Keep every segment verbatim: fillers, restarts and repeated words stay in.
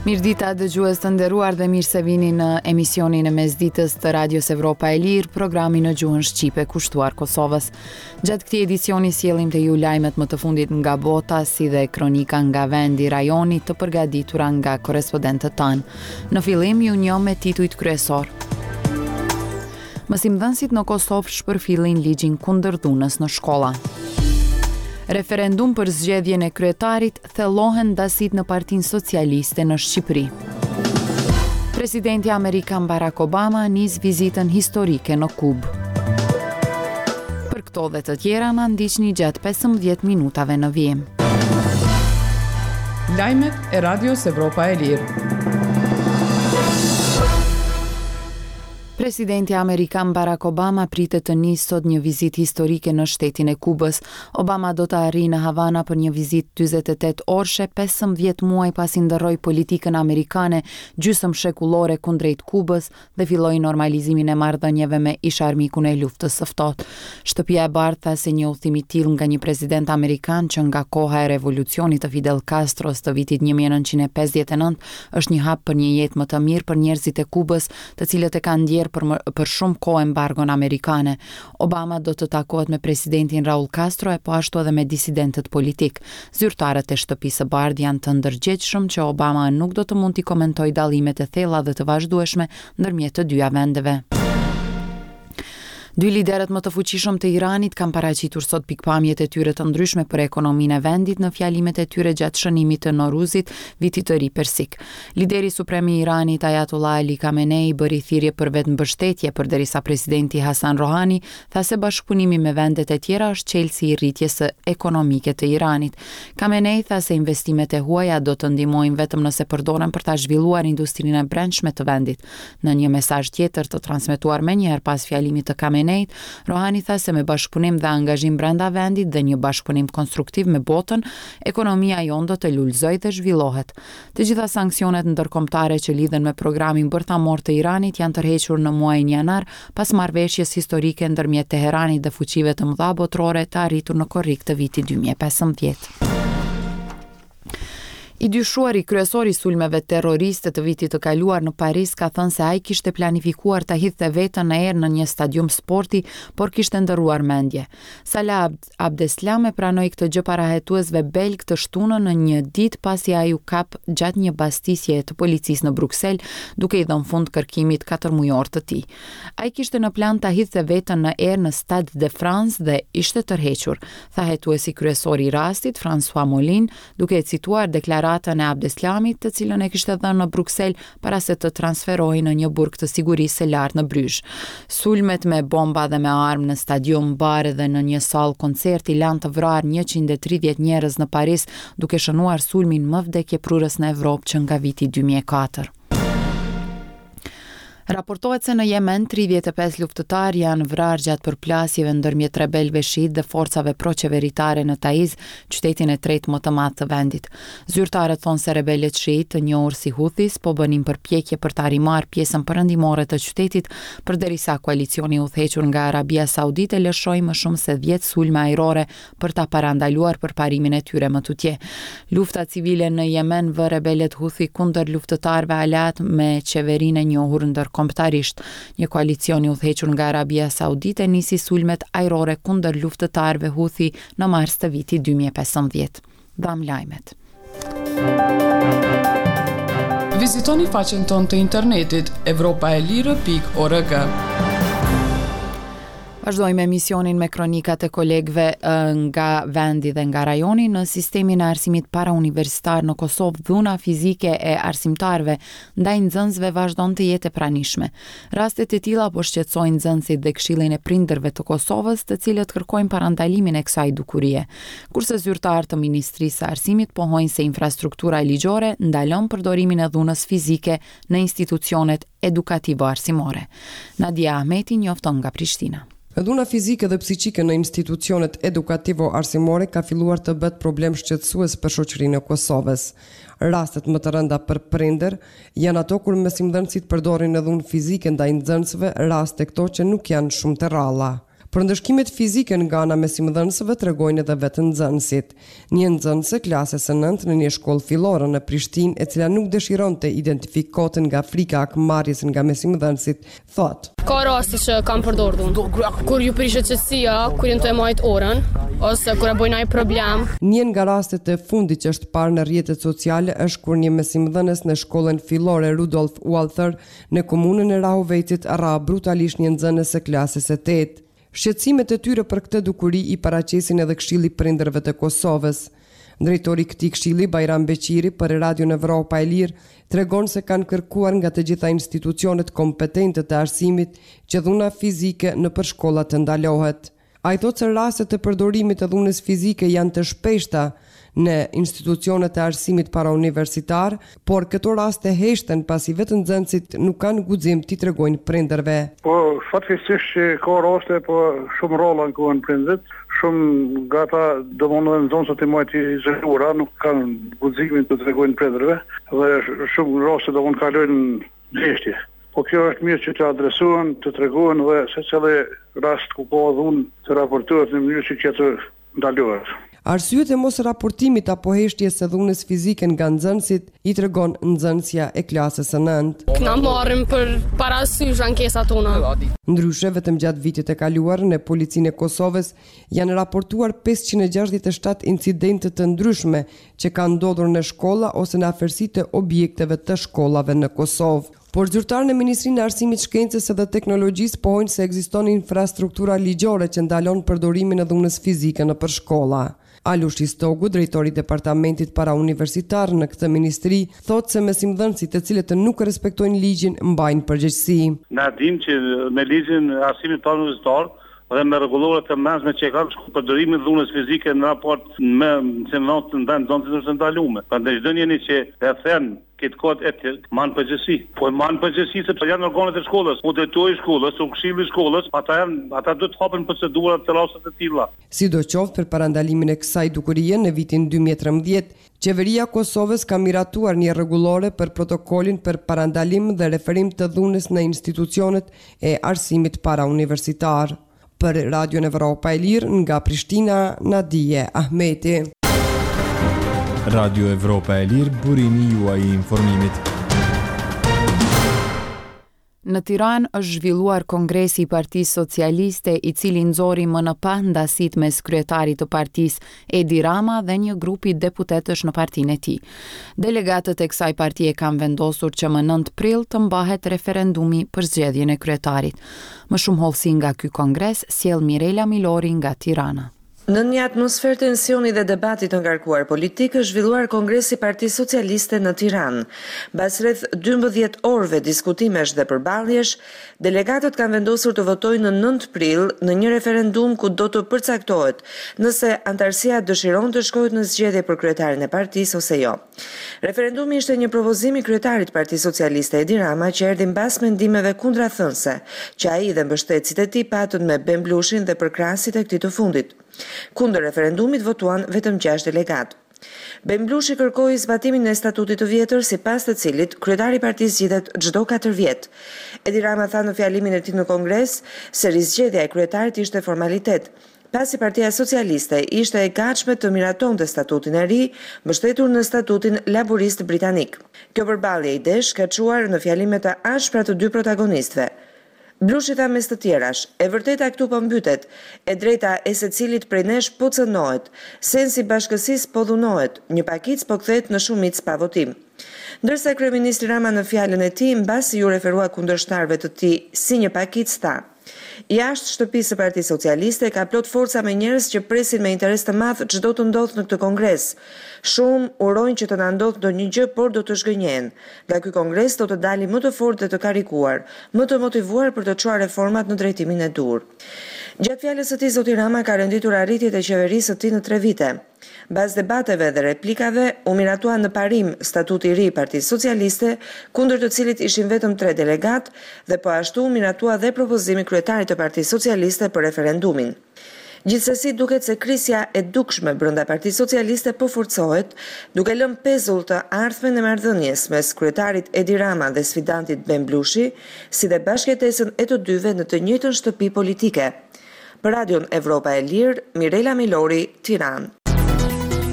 Mirëdita dëgjues të nderuar dhe mirë se vini në emisionin e mesditës të Radios Evropa e Lirë, programi në gjuhën shqipe kushtuar Kosovës. Gjatë këtij edicioni sjellim te ju lajmet më të fundit nga bota, si dhe kronika nga vendi rajoni të përgatitura nga korrespondentët tanë. Në fillim ju njoh me titujt kryesor. Mësimdhënësit në Kosovë shpërfillin ligjin kundër dhunës në shkolla. Referendum për zgjedhjen e kryetarit, thellohen ndasitë në Partinë Socialiste në Shqipëri. Presidenti amerikan Barack Obama nis vizitën historike në Kubë. Për këto dhe të tjera na ndiqni gjatë pesëmbëdhjetë minutave në vijim. Lajmet e Radios Evropa e Lirë. Presidenti amerikan Barack Obama pritet të nisë sot një vizitë historike në shtetin e Kubës. Obama do të arrijë në Havana për një vizitë dyzet e tetë orëshe, pesëmbëdhjetë muaj pasi ndërroi politikën amerikane gjysmë shekullore kundrejt Kubës dhe filloi normalizimin e marrëdhënieve me ish-armikun e luftës së ftohtë. Shtëpia e Bardhë tha se një udhëtim i tillë nga një president amerikan që nga koha e revolucionit të Fidel Castros të vitit një mijë e nëntëqind e pesëdhjetë e nëntë është një hap për një jetë më të mirë për njerëzit e Kubës, të cilët e kanë ndjerë për më, për shumë kohë embargon amerikane. Obama do të takohet me presidentin Raul Castro e po ashtu edhe me disidentët politik. Zyrtarët e Shtëpisë së Bardhë janë të ndërgjegjshëm që Obama nuk do të mund t'i komentojë dallimet e thella dhe të vazhdueshme ndërmjet të dyja vendeve. Dy liderët më të fuqishëm të Iranit kanë paraqitur sot pikpamjet e tyre të ndryshme për ekonominë e vendit në fjalimet e tyre gjatë shënimit të Noruzit, vitit të ri persik. Lideri suprem i Iranit, Ayatollah Ali Khamenei, bëri thirrje për vetëmbështetje, përderisa presidenti Hasan Rouhani tha se bashkëpunimi me vendet e tjera është çelësi i rritjes së ekonomike të Iranit. Khamenei tha se investimet e huaja do të ndihmojnë vetëm nëse përdoren për ta zhvilluar industrinë e brendshme të vendit. Në një mesazh tjetër të transmetuar menjëherë pas fjalimit të Khamenei, Rouhani tha se me bashkëpunim dhe angazhim brenda vendit dhe një bashkëpunim konstruktiv me botën, ekonomia jonë do të lulëzojë dhe zhvillohet. Të gjitha sanksionet ndërkombëtare që lidhen me programin bërthamor të Iranit janë tërhequr në muajin janar pas marrëveshjes historike ndërmjet Teheranit dhe fuqive të mëdha botërore të arritur në korrik të vitit dy mijë e pesëmbëdhjetë. I dyshuari kryesor i sulmeve terroriste të vitit të kaluar në Paris ka thënë se ai kishte planifikuar ta hidhte veten në erë në një stadium sporti, por kishte ndërruar mendje. Salah Abd-, Abdeslam e pranoi këtë gjë para hetuesve belg të shtunën në një ditë pasi ai u kap gjatë një bastisje të policisë në Bruksel, duke i dhënë fund kërkimit katërmujor të tij. Ai kishte në plan ta hidhte veten në erë në Stade de France dhe ishte tërhequr, tha hetuesi kryesor i rastit, François Molin, duke e cituar deklaratën e Abdeslamit, të cilën e kishte dhënë në Bruksel para se të transferohej në një burg të sigurisë së lartë në Bryzh. Sulmet me bomba dhe me armë në stadium, bare dhe në një sallë koncerti lanë të vrarë njëqind e tridhjetë njerëz në Paris, duke shënuar sulmin më vdekjeprurës në Evropë që nga viti dy mijë e katër. Raportohet se në Jemen tridhjetë e pesë luftëtarë janë vrarë gjatë përplasjeve ndërmjet rebelëve shiit dhe forcave proqeveritare në Taiz, qytetin e tretë më të madh të vendit. Zyrtarët thonë se rebelët shiit, të njohur si Houthis, po bënin përpjekje për ta rimarrë pjesën perëndimore të qytetit, përderisa koalicioni i udhëhequr nga Arabia Saudite lëshoi më shumë se dhjetë sulme ajrore për ta parandaluar përparimin e tyre më tutje. Lufta civile në Jemen vë rebelët Houthi kundër luftëtarëve aleat me qeverinë e njohur ndërkombëtarisht. Një koalicion i udhëhequr nga Arabia Saudite nisi sulmet ajrore kundër luftëtarëve Houthi në mars të vitit dy mijë e pesëmbëdhjetë. Dham lajmet. Vizitoni faqen tonë të internetit evropa e lirë pikë org. Vazhdojmë emisionin me kronikat e kolegëve, ë, nga vendi dhe nga rajoni. Në sistemin e arsimit parauniversitar në Kosovë, dhuna fizike e arsimtarëve ndaj nxënësve vazhdon të jetë e pranishme. Rastet e tilla po shqetësojnë nxënësit dhe Këshillin e Prindërve të Kosovës, të cilët kërkojnë parandalimin e kësaj dukurie. Kurse zyrtarë të Ministrisë së Arsimit pohojnë se infrastruktura ligjore ndalon përdorimin e dhunës fizike në institucionet edukativo-arsimore. Nadia Ahmeti njofton nga Prishtina. Dhuna fizike dhe psiqike në institucionet edukativo-arsimore ka filluar të bëhet problem shqetësues për shoqërinë e Kosovës. Rastet më të rënda për prindër janë ato kur mësimdhënësit përdorin dhunë fizike ndaj nxënësve, raste këto që nuk janë shumë të rralla. Për ndëshkimet fizike nga ana mësimdhënësve tregojnë edhe vetë nxënësit. Një nxënëse klasës së nëntë në një shkollë fillore në Prishtinë, e cila nuk dëshiron të identifikohet nga frika e hakmarrjes nga mësimdhënësit, thotë: Ka raste që kam përdorur dhunë. Kur ju prishet qetësia, kur janë të e majt orën, ose kur e bojnë ai problem. Një nga rastet e fundit që është parë në rrjetet sociale është kur një mësimdhënës në shkollën fillore Rudolf Walther në komunën e Rahovecit ra brutalisht një nxënës së klasës së tetë. Shqetësimet e tyre për këtë dukuri i paraqesin edhe Këshilli Prindërve të Kosovës. Drejtori i këtij këshilli, Bajram Beqiri, për Radion Evropa e Lirë, tregon se kanë kërkuar nga të gjitha institucionet kompetente të arsimit që dhuna fizike nëpër shkolla të ndalohet. Ai thotë se rastet e përdorimit të dhunës fizike janë të shpeshta në institucionet e arsimit parauniversitar, por këto raste heshten pasi vetë nxënësit nuk kanë guxim t'i tregojnë prindërve. Po, fatkeqësisht që ka raste, po shumë rrallë ankohen prindërit, shumë nga ata domethënë nxënësit i majtë izoluara, nuk kanë guximin të tregojnë prindërve dhe shumë raste domethënë kalojnë në heshtje. Po kjo është mirë që të adresohen, të tregohen dhe secili rast ku ka dhunë të raportohet në mënyrë që kjo të ndalohet. Arsyet e mos raportimit apo heshtjes së dhunës fizike nga nxënësit i tregon nxënësja e klasës së nëntë. Na marrim për parasysh ankesat tona. Ndryshe, vetëm gjatë vitit të kaluar në Policinë e Kosovës janë raportuar pesëqind e gjashtëdhjetë e shtatë incidente të ndryshme që kanë ndodhur në shkolla ose në afërsi të objekteve të shkollave në Kosovë. Por zyrtarë në Ministrinë e Arsimit, Shkencës dhe Teknologjisë pohojnë se ekziston infrastruktura ligjore që ndalon përdorimin e dhunës fizike nëpër shkolla. Alush Istogu, drejtori i Departamentit Parauniversitar në këtë ministri, thotë se mësimdhënësit të cilët nuk respektojnë ligjin mbajnë përgjegjësi. Na dim që me ligjin e arsimit parauniversitar dhe me rregulloret të mbrojtshme që kanë shku përdorimin e dhunës fizike në raport me mësimdhënësit ndaj nxënësit është ndaluar. Prandaj çdo njeri që e then këtë kod etik man përgjegjësi. Po man përgjegjësi sepse janë organet e shkollës, u drejtori i shkollës, u këshilli i shkollës, ata janë, ata duhet të hapen procedura të rastet e tilla. Sidoqoftë, për parandalimin e kësaj dukurie në vitin dy mijë e trembëdhjetë, Qeveria e Kosovës ka miratuar një rregullore për protokollin për parandalim dhe referim të dhunës në institucionet e arsimit parauniversitar. Për Radion Evropa e Lirë nga Prishtina, Nadije Ahmeti. Radio Evropa e Lirë, burimi juaj i informimit. Në Tiranë është zhvilluar Kongresi i Partisë Socialiste, i cili nxori më në pah ndasit mes kryetarit të partisë Edi Rama dhe një grupi deputetësh në partinë e tij. Delegatët e kësaj partie kanë vendosur që më nëntë prill të mbahet referendumi për zgjedhjen e kryetarit. Më shumë hollësi nga ky kongres sjell Mirela Milori nga Tirana. Në një atmosferë tensioni dhe debati të ngarkuar politik është zhvilluar Kongresi i Partisë Socialiste në Tiranë. Mbas rreth dymbëdhjetë orëve diskutimesh dhe përballjesh, delegatët kanë vendosur të votojnë në nëntë prill në një referendum ku do të përcaktohet nëse antarësia dëshiron të shkojë në zgjedhje për kryetarin e partisë ose jo. Referendumi ishte një propozim i kryetarit të Partisë Socialiste Edi Rama që erdhi mbas mendimeve kundrathënëse që ai dhe mbështetësit e tij patën me Ben Blushin dhe përkrahësit e këtij të fundit. Kundër referendumit votuan vetëm gjashtë delegat. Ben Blushi kërkoi zbatimin e statutit të vjetër, sipas të cilit kryetari i partisë zgjidhet çdo katër vjet. Edi Rama tha në fjalimin e tij në Kongres se rizgjedhja e kryetarit ishte formalitet, pasi Partia Socialiste ishte e gatshme të miratonte statutin e ri, mbështetur në statutin laborist britanik. Kjo përballje idesh ka çuar në fjalime të ashpra të dy protagonistëve. Blushi tha mes të tjerash, e vërteta këtu po mbytet, e drejta e secilit prej nesh po cënohet, sensi bashkësisë po dhunohet, një pakicë po kthehet në shumicë pa votim. Ndërsa kryeministri Rama në fjalën e tij, mbasi ju referua kundërshtarëve të tij si një pakicë, tha: Jashtë shtëpisë së Partisë Socialiste ka plot forca me njerëz që presin me interes të madh ç'do të ndodhë në këtë kongres. Shumë urojnë që të na ndodhë ndonjë gjë, por do të zhgënjehen. Nga ky kongres do të dalim më të fortë dhe të karikuar, më të motivuar për të çuar reformat në drejtimin e duhur. Gjatë fjalës së tij, zoti Rama ka renditur arritjet e qeverisë së tij në tre vite. Mbas debateve dhe replikave, u miratua në parim statuti i ri i Partisë Socialiste, kundër të cilit ishin vetëm tre delegat, dhe po ashtu u miratua dhe propozimi i kryetarit të Partisë Socialiste për referendumin. Gjithsesi duket se krisja e dukshme brenda Partisë Socialiste po forcohet, duke lënë pezull të ardhmen e marrëdhënies mes kryetarit Edi Rama dhe sfidantit Ben Blushi, si dhe bashkëjetesën e të dyve në të njëjtën shtëpi politike. Për Radion Evropa e Lirë, Mirela Milori, Tiranë.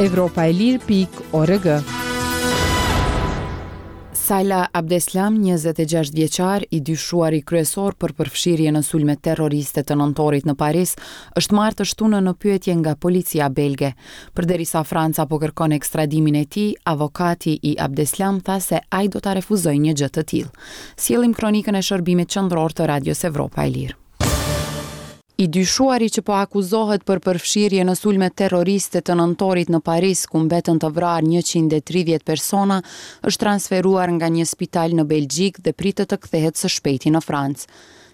Evropa e Lirë pikë org. Salah Abdeslam, njëzet e gjashtë vjeçar, i dyshuari kryesor për përfshirje në sulmet terroriste të nëntorit në Paris, është marrë të shtunën në pyetje nga policia belge. Përderisa Franca po kërkon ekstradimin e tij, avokati i Abdeslam tha se ai do ta refuzojë një gjë të tillë. Sjellim kronikën e shërbimit qendror të Radios Evropa e Lirë. I dyshuari që po akuzohet për përfshirje në sulmet terroriste të nëntorit në Paris, ku mbetën të vrarë njëqind e tridhjetë persona, është transferuar nga një spital në Belgjikë dhe pritet të kthehet së shpejti në Francë.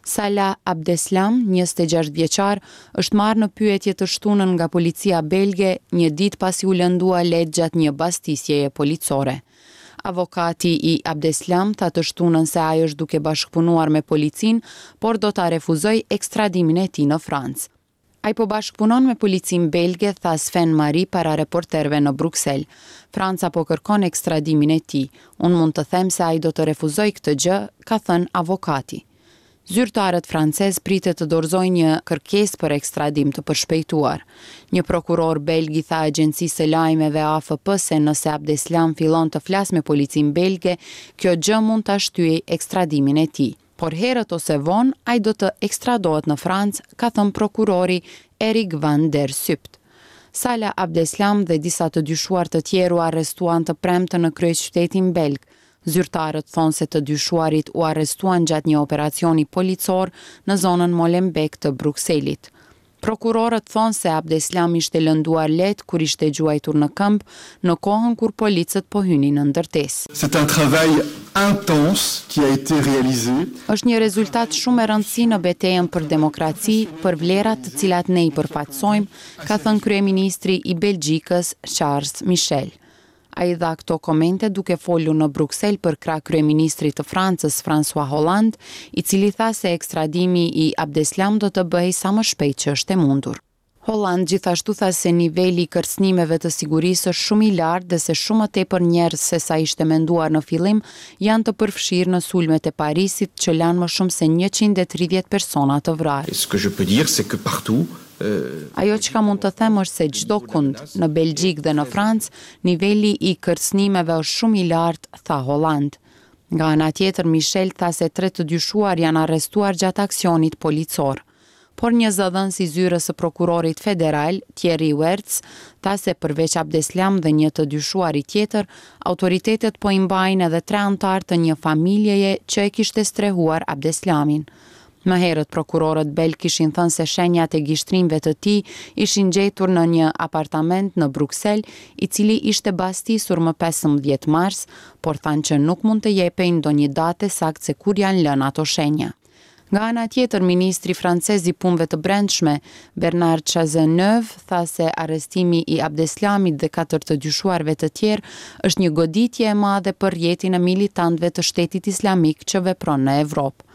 Salah Abdeslam, njëzet e gjashtë vjeçar, është marrë në pyetje të shtunën nga policia belge një ditë pasi u lëndua lehtë gjatë një bastisjeje policore. Avokati i Abdeslam tha të shtunën se ai është duke bashkëpunuar me policinë, por do ta refuzojë ekstradimin e tij në Francë. Ai po bashkëpunon me policinë belge, tha Sven Mary para reporterëve në Bruksel. Franca po kërkon ekstradimin e tij. Unë mund të them se ai do të refuzojë këtë gjë, ka thënë avokati. Zyrtarët francez pritet të dorëzojnë një kërkesë për ekstradim të përshpejtuar. Një prokuror belg i tha agjencisë së lajmeve A F P se nëse Abdeslam fillon të flasë me policinë belge, kjo gjë mund ta shtyjë ekstradimin e tij. Por herët ose vonë, ai do të ekstradohet në Francë, ka thënë prokurori Eric van der Sypt. Salah Abdeslam dhe disa të dyshuar të tjerë u arrestuan të premten në kryeqytetin belg. Zyrtarët thonë se të dyshuarit u arrestuan gjatë një operacioni policor në zonën Molenbeek të Brukselit. Prokurorët thonë se Abdeslam ishte lënduar lehtë kur ishte gjuajtur në këmbë në kohën kur policët po hynin në ndërtesë. C'est un travail intense qui a été réalisé. Është një rezultat shumë e rëndësi në betejën për demokraci, për vlerat të cilat ne i përfaqësojmë, ka thënë kryeministri i Belgjikës Charles Michel. Ai dha këto komente duke folur në Bruksel për krah kryeministrit të Francës François Hollande, i cili tha se ekstradimi i Abdeslam do të bëhej sa më shpejt që është e mundur. Hollande gjithashtu tha se niveli i kërcënimeve të sigurisë është shumë i lartë dhe se shumë më tepër njerëz se sa ishte menduar në fillim janë të përfshirë në sulmet e Parisit që lanë më shumë se njëqind e tridhjetë persona të vrarë. Et ce que je peux dire, c'est que partout, euh, Ajo çka mund të them është se çdo kund, në Belgjikë dhe në Francë, niveli i kërcënimeve është shumë i lartë, tha Hollande. Nga ana tjetër, Michel tha se tre të dyshuar janë arrestuar gjatë aksionit policor. Por një zëdhënës i zyrës së prokurorit federal, Thierry Wertz, tha se përveç Abdeslam dhe një të dyshuari tjetër, autoritetet po i mbajnë edhe tre anëtarë të një familjeje që e kishte strehuar Abdeslamin. Më herët prokurorët belg kishin thënë se shenjat e gishtrimve të tij ishin gjetur në një apartament në Bruksel, i cili ishte bastisur më pesëmbëdhjetë mars, por thanë që nuk mund të jepej ndonjë datë e saktë se kur janë lënë ato shenja. Nga ana tjetër, ministri francez i punëve të brendshme, Bernard Cazeneuve, tha se arrestimi i Abdeslamit dhe katër të dyshuarve të tjerë është një goditje e madhe për rrjetin e militantëve të Shtetit Islamik që vepron në Evropë.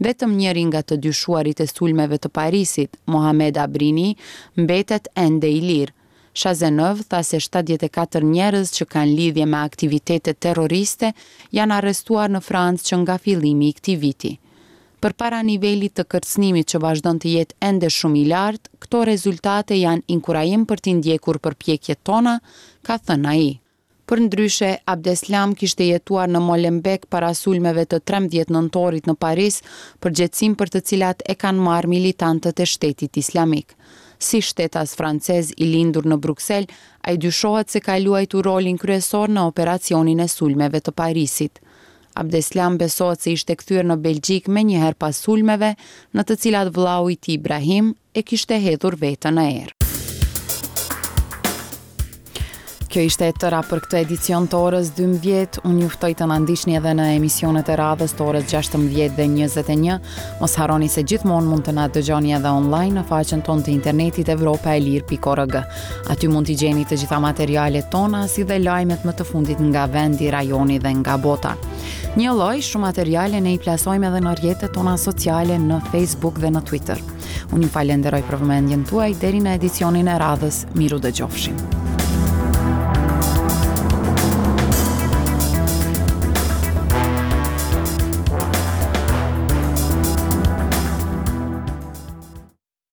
Vetëm njëri nga të dyshuarit e sulmeve të Parisit, Mohamed Abrini, mbetet ende i lirë. Cazeneuve tha se shtatëdhjetë e katër njerëz që kanë lidhje me aktivitete terroriste janë arrestuar në Francë që nga fillimi i këtij viti. Përpara nivelit të kërcënimit që vazhdon të jetë ende shumë i lartë, këto rezultate janë inkurajim për t'i ndjekur përpjekjet tona, ka thënë ai. Përndryshe, Abdeslam kishte jetuar në Molenbeek para sulmeve të trembëdhjetë nëntorit në Paris, përgjegjësinë për të cilat e kanë marrë militantët e Shtetit Islamik. Si shtetas francez i lindur në Bruksel, ai dyshohet se ka luajtur rolin kryesor në operacionin e sulmeve të Parisit. Abdeslam besohet se ishte kthyer në Belgjikë menjëherë pas sulmeve, në të cilat vllau i tij Ibrahim e kishte hedhur veten në erë. Kjo ishte e tëra për këtë edicion të orës dymbëdhjetë. Unë ju ftoj të na ndiqni edhe në emisionet e radhës të orës gjashtëmbëdhjetë dhe njëzet e një. Mos harroni se gjithmonë mund të na dëgjoni edhe online në faqen tonë të internetit evropa e lirë pikë org. Aty mund t'i gjeni të gjitha materialet tona si dhe lajmet më të fundit nga vendi, rajoni dhe nga bota. Një lloj shumë materiale ne i plasojmë edhe në rrjetet tona sociale në Facebook dhe në Twitter. Unë ju falenderoj për vëmendjen tuaj deri në edicionin e radhës. Miru dëgjofshim.